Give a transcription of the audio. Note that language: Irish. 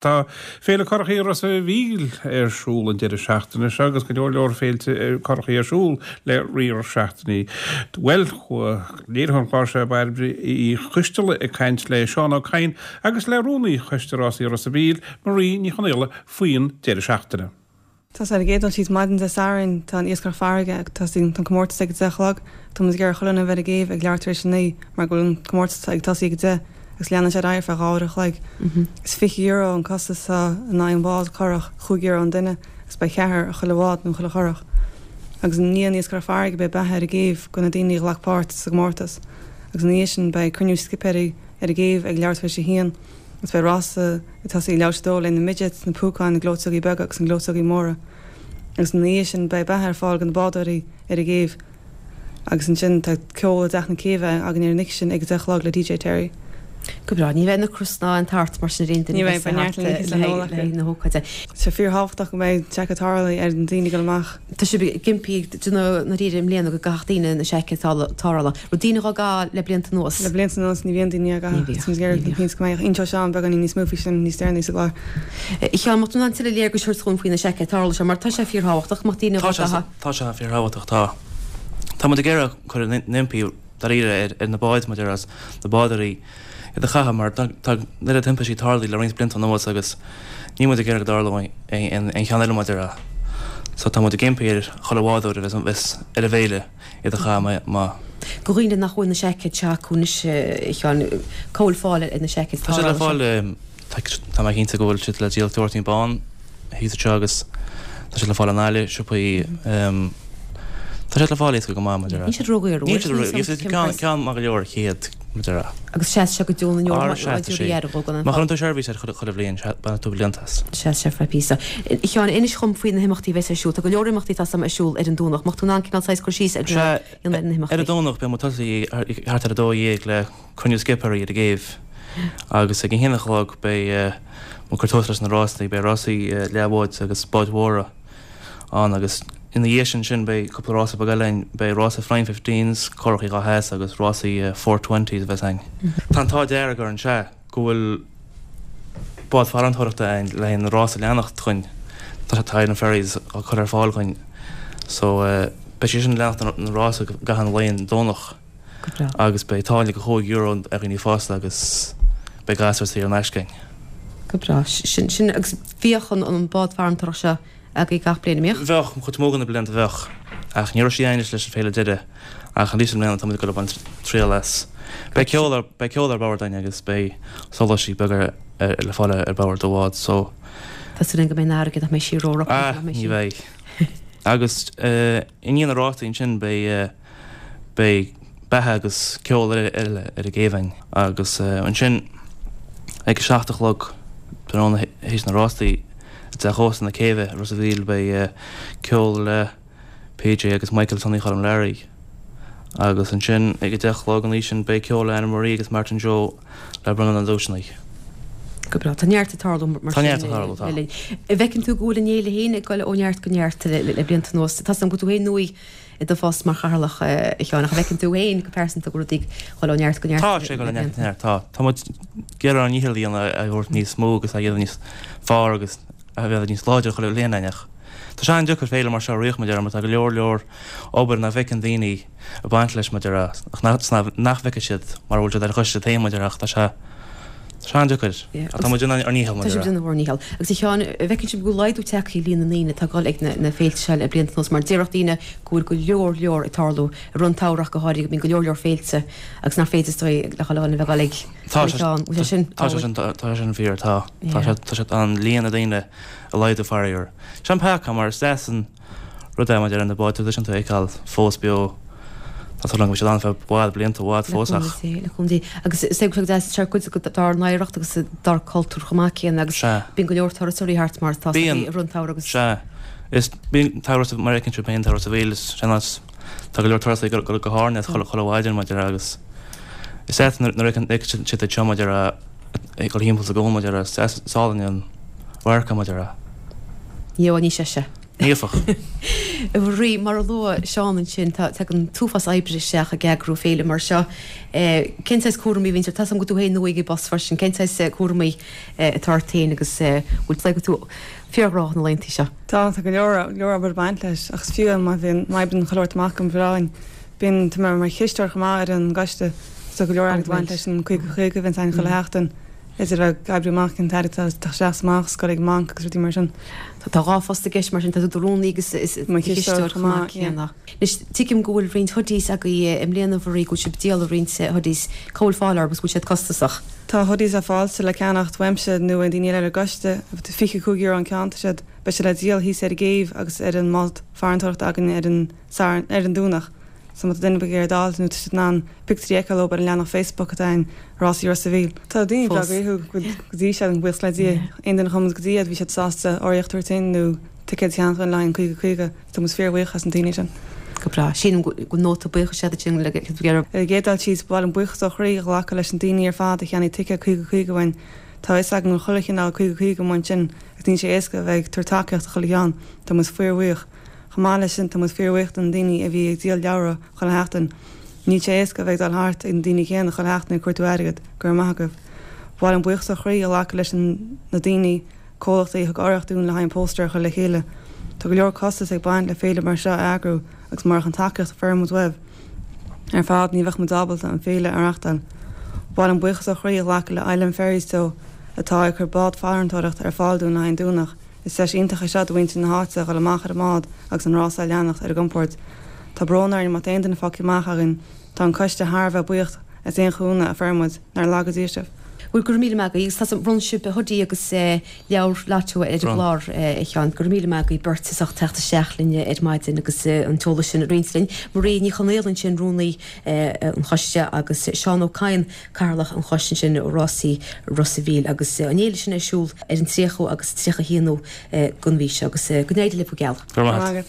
Tá Féile Currachaí Ros a' Mhíl ar siúl an deireadh seachtaine seo agus go leor leor féilte currachaí ar siúl le riar seachtainí. Bhuel, chuaigh léiritheoir an chláir seo Bairbre Uí Choisteala ag caint le Seán Ó Cadhain agus le Rúnaí Choiste Rásaí Ros a' Mhíl, Marie Ní Chonaola faoin deireadh seachtaine. Tá sé ar an gcéad dul síos maidin Dé Sathairn tá an iascaireacht farraige ag tosaí, tá an comórtas ag a 10 a chlog. Tá muid ag iarraidh chuile dhuine a bheith ar an gcéibh ag leathuair tar éis a 9 mar go bhfuil an comórtas ag tosaí ag a 10 agus leanann sé ar aghaidh ar feadh 2 uair a chloig. Is €20 an costas atá in aghaidh an bhád curach, €5 an duine agus beidh ceathrar ar chuile bhád nó chuile churach. Agus i ndiaidh an iascaireacht farraige beidh beatha ar an gcéibh do na daoine a ghlac páirt sa gcomórtas. Agus ina dhiaidh sin beidh cruinniú scipéirí ar an gcéibh ag leathuair tar éis a haon. Agus beidh rása ag tosaí ag leathuair tar éis a dó le na midgets, na púcáin, na gleoiteogaí beaga agus na gleoiteogaí móra. Agus ina dhiaidh sin beidh beatha ar fáil do na bádóirí ar an gcéibh. Agus ansin tá ceol i dTeach na Céibhe againn ar an oíche sin ag a 10 a chlog le DJ Terry. Go breá. Ní bheidh ocras ná aon tart mar sin ar aon duine Ní bheidh, beidh neart le n-ithe is le n-ól acu. le haghaidh na hócáide. Tá sé fíorthábhachtach go mbeidh seaicéad tarrthála ar na daoine ag dul amach. Tá sibh ag impí ag déanamh na ríre i mbliana go gcaithfeadh daoine na seaicéid tarrthála. Raibh daoine dhá gcaitheamh le blianta anuas? Le blianta anuas ní bhíonn daoine á gcaitheamh. Ní bhíodh, ní bhíodh. Go mbeadh inseoidh Seán beagáinín níos mó faoi sin níos deireanaí sa gclár. A Sheáin, mbeadh tú in ann tuilleadh léargais a thabhairt dhúinn faoi na seaicéid tarrthála seo mar tá sé fíorthábhachtach go mbeadh daoine dhá gcaitheamh. Tá sé fíorthábhachtach, tá. Tá muid ag iarraidh cur an impí dáiríre ar na báid, mar a déarfá, na bádóirí iad a chaitheamh mar tá an oiread timpistí tarlaithe le roinnt blianta anuas agus níl muid ag iarraidh go dtarlóidh aon cheann eile mar a déarfá. So tá muid ag impí ar chuile bhádóir a bheas ar an bhféile iad a chaitheamh má. Do dhaoine nach bhfuil na seaicéid seo acu anois, a Sheáin, cá bhfuil fáil ar na seaicéid Tá siad le fáil, tá mé cinnte go bhfuil siad le díol ag Doirtín Bán thíos anseo agus tá siad le fáil i nGaillimh, siopaí, tá siad le fáil éasca go maith, mar a déarfá. Níl siad ródhaor, Níl siad ródhaor, ceann, ceann maith go leor ar chéad, mar a déarfá. Agus seas sé go deo na ndeor, mar Má chuireann tú seirbhís air chuile bhliain, bainfidh tú blianta as. Seas sé feadh píosa. A Sheáin, inis dhom faoi na himeachtaí a bheas ar siúl. Tá go leor imeachtaí tá a fhios a'm ar siúl ar an Domhnach. Mbeadh tú in ann cineál saghas cur síos a dhéanamh ar na himeachtaí? Ar an Domhnach beidh muid tosaí thart ar 12 le cruinniú scipéirí ar an gcéibh agus ag a haon a chlog beidh muid ag cur tús leis na rásaí. Beidh rásaí leathbháid agus báid mhóra ann agus ina dhiaidh sin sin beidh cúpla rása beag eile ann. Beidh rása Flying Fifteens, curachaí 2 sheas agus rásaí Four Twenties a bheas ann. Tá an t-ádh dearg orainn, sea, go bhfuil bád farantóireachta ann le haghaidh na rása a leanacht dhúinn. Tá tá Island Ferries á cur ar fáil dhúinn so beidh sé sin ag leanacht na rása i gcaitheamh an lae an Domhnach. Go breá. Agus beidh táille de chúig euro ar dhaoine fásta agus beidh gasúir saor in aisce againn. Go breá. Sin, sin, agus bhíodh an, an bád farantóireachta seo agaibh gach bliain, an mbíodh? Bheadh, an chuid is mó de na blianta bheadh. Ach ní raibh sí againn leis an féile deiridh. Ach arís i mbliana tá muid ag dul ag baint triail as. Beidh ceol ar, beidh ceol ar bord againn agus beidh solaisí beaga ar, ar, le fáil ar bord an bhád so. Tá súil againn go mbeidh an fharraige, nach mbeidh sí ró-rocach, Ah, nach mbeidh ní sí. bheidh. Agus eh, i ndiaidh na rásaí ansin beidh eh, Beidh beatha agus ceol eile ar an gcéibh againn agus ansin ag a 7 a chlog tráthnóna théis na rásaí i dTeach Ósta na Céibhe i Ros a' Mhíl beidh ceol le PJ agus Michael Sonny Choilm Learaí agus ansin ag a 10 a chlog an oíche sin beidh ceol le Anna Marie agus Martin Joe le bronnadh na nduaiseanna. Go breá. Tá neart ag tarlú mar Tá neart ag tarlú, tá. An bhfeiceann tú go bhfuil an fhéile féin ag dul ó neart go neart le blianta anuas? Tá a fhios agam go bhfuil tú féin nua i do phost mar chathaoirleach, a Sheáin, ach an bhfeiceann tú féin go pearsanta go bhfuil rudaí ag dul ó neart go neart Tá sé ag dul ó neart go neart, tá. Tá muid ag iarraidh ár ndícheall a dhéanamh é a thabhairt níos mó agus a dhéanamh níos fearr agus a bheith níos láidre chuile bhliain ach tá sé an-deacair féile mar seo a rith mar a déarfá mar tá go leor leor obair nach bhfeiceann daoine ag baint leis mar a déarfá ach nach bhfeicfidh siad mara bhfuil siad ar an choiste féin mar a déarfá ach tá sé Tá sé an-deacair. Ach tá muid ag déanamh ár ndícheall, mar Tá sibh ag déanamh bhur ndícheall. Agus a Sheáin, an bhfeiceann sibh go bhfuil laghdú tagtha ar líon na ndaoine atá ag dul ag na féilte seo le blianta anuas mar déarfadh daoine go bhfuil go leor leor ag tarlú i rith an tsamhraidh ach go háirithe go mbíonn go leor leor féilte agus nach féidir is dóigh le chuile dhuine a bheith ag dul ag Tá sé ceann. Bhfuil sé sin Tá sé sin tá sé sin fíor tá. Tá sé tá sé tá an líon na daoine ag laghdú faraor. Sin peaca mar is deas an Rud é maidir le na báid traidisiúnta a fheiceáil fós beo, tá súil agam go mbeidh siad ann feadh i bhfad, blianta i bhfad fós ach. Le cúnamh Dé. Agus is é go deas sé cuid dár n-oidhreacht agus dár cultúr chomh maith céanna agus Sea. bíonn go leor turasóirí thart mar atá Bíonn. i rith an tsamhraidh agus. Sea. Is bíonn turas mar a fheiceann sibh féin tá Ros a' Mhíl is sin áit tá go leor turasóirí go go hÁrainn as chuile chuile mhaidin mar a déarfá agus is ait nuair a fheiceann siad iad seo mar a déarfá ag dul thimpeall sa gcuan mar a déarfá is deas is álainn an radharc é mar a déarfá. Ní amháin ní sé. Éifeacht. A Mharie, mar a luaigh Seán ansin, tá, tagann an t-uafás oibre isteach ag eagrú féile mar seo. Cén saghas cúramaí a bhíonns ort? Tá 's agam go bhfuil tú féin nua ag an bpost freisin. Cén saghas cúramaí atá ort féin agus bhfuil tú go tú fíorghnóthach na laethanta seo? Tá, tá go leor, leor obair ag baint leis ach is fiú má bhíonn, má oibríonn chuile shórt amach go breá. Bíonn, tá mé mar chisteoir chomh maith ar an gcoiste so go leor airgead ag baint leis an 50 50 a bhíonns againn chuile sheachtain. Idir ag oibriú amach cén t-airgead atá ag teacht isteach is amach, is ag dul ag an mbanc agus rudaí mar sin. Tá 2 phost i gceist mar sin, tá tú i do rúnaí agus i do chisteoir chomh maith céanna. Anois, tuigim go bhfuil roinnt hoodies agaibh i mbliana, a Mharie, go bhfuil sibh ag díol roinnt hoodies. Cá bhfuil fáil orthu agus bhfuil siad costasach? Tá hoodies le fáil le ceannacht uaimse nó ó daoine eile ar an gcoiste. €25 an ceann tá siad. Beidh siad le díol thíos ar an gcéibh agus ar an mbád farantóireachta againn ar an Satharn, ar an Domhnach. So má tá duine ar bith ag iarraidh d'fháil nó tá siad in ann pictiúirí a fheiceáil leo ar an leathanach Facebook atá againn, Rásaí Ros a' Mhíl. Tá daoine breá gnaíúil go dtí seo, buíochas le Dia. Aon duine a chuaigh muid go dtí iad bhí siad sásta urraíocht a thabhairt dúinn nó ticéad a cheannach dúinn le haghaidh an 50 50. Tá muid fíorbhuíoch as na daoine sin. Go breá. Sílim go bhfuil nóta buíochais agat ansin le Ar an gcéad dul síos, ba mhaith liom buíochas ó chroí a ghlacadh leis na daoine ar fad a cheannaigh ticéad 50 50 uainn. Tá a fhios againn go bhfuil chuile chineál 50 50 amuigh ansin agus níl sé éasca a bheith ag tabhairt tacaíocht do chuile cheann. Tá muid fíorbhuíoch. Chomh maith leis sin, tá muid fíorbhuíoch do na daoine a bhí ag díol leabhra chuile sheachtain. Níl sé éasca a bheith ag dul thart ag na daoine céanna chuile sheachtain ag cuartú airgead. Go raibh maith agaibh. Ba mhaith liom buíochas ó chroí a ghlacadh leis na daoine, comhlachtaí a thug urraíocht dúinn le haghaidh an póstaer a chur le chéile. Tá go leor costas ag baint le féile mar seo a eagrú agus murach an tacaíocht a fuair muid uaibh ar fad ní bheadh muid ábalta an féile a reachtáil. Ba mhaith liom buíochas ó chroí a ghlacadh le Island Ferries Teo atá ag cur bád farantóireachta ar fáil dúinn le haghaidh an Domhnach. Is deis iontach é seo do mhuintir na háite a dhul amach ar an mbád agus an rása a leanacht ar a gcompord. Tá brón orainn má tá aon duine fágtha amach againn. Tá an coiste thar a bheith buíoch as aon chúnamh a fuair muid. Nár laga Dia sibh. Bhuel, go raibh míle maith agaibh agus tá bhronn sibh hoodie agus leabhar lotto ar an gclár, a Sheáin. Go raibh míle maith agaibh beirt as ucht teacht isteach linn ar maidin agus an t-eolas sin a roinnt linn. Marie Ní Chonaola ansin, Rúnaí an Choiste agus Seán Ó Cadhain, Cathaoirleach an Choiste ansin Rásaí Ros a' Mhíl agus an fhéile sin ar siúl ar an 30 agus 31 den mhí seo agus go n-éirí libh go geal. Go raibh maith agat.